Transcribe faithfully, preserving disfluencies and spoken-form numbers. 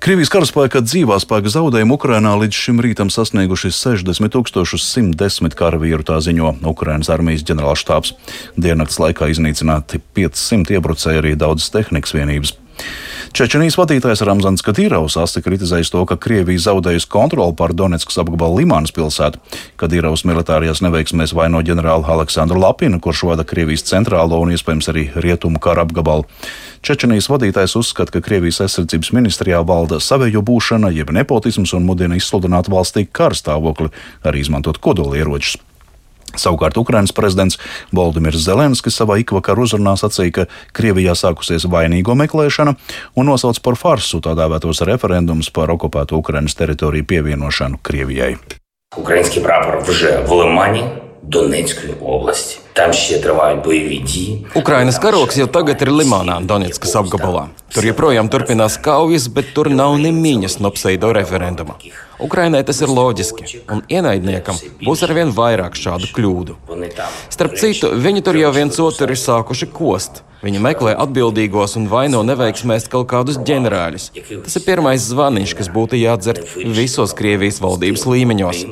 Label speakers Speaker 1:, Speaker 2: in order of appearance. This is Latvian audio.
Speaker 1: Krievijas karaspēka dzīvā spēka zaudējumi Ukrainā līdz šim rītam sasnieguši sešdesmit tūkstošus simt desmit karavīru, tā ziņo Ukrainas armijas ģenerālštābs. Diennakts laikā iznīcināti piecsimt iebrucēji, arī daudzas tehnikas vienības. Čečenijas vadītājs Ramzans Kadīrovs asti kritizējis to, ka Krievija zaudējusi kontroli pār Doneckas apgabalu Limānas pilsētu. Kadīrovs militārajās neveiksmēs vaino ģenerāli Aleksandru Lapinu, kurš vada Krievijas centrālo un iespējams arī rietumu kara apgabalu. Čečenijas vadītājs uzskata, ka Krievijas aizsardzības ministrijā valda savējo būšana, jeb nepotisms, un mudina izsludināt valstī kara stāvokli, arī izmantot kodolieročus. Savukārt Ukrainas prezidents Volodimirs Zelenskis savā ikvakar uzrunā sacīja, ka Krievijā sākusies vainīgo meklēšana un nosauc par farsu tā dēvētos referendumus par okupēto Ukrainas teritoriju pievienošanu Krievijai.
Speaker 2: Український прапор вже в Лимані Донецької області. Там ще тривають бойові дії.
Speaker 3: Ukrainas karoks jau tagad ir Limānā, Doneckas apgabalā. Tur joprojām turpinās kaujas, bet tur nav ne miņas no pseido referenduma. Ukrainai tas ir loģiski, un ienaidniekam būs arvien vairāk šādu kļūdu. Starp citu, viņi tur jau viens otru ir sākuši kost. Viņi meklē atbildīgos un vaino neveiksmēs kaut kādus ģenerāļus. Tas ir pirmais zvaniņš, kas būtu jādzird visos Krievijas valdības līmeņos.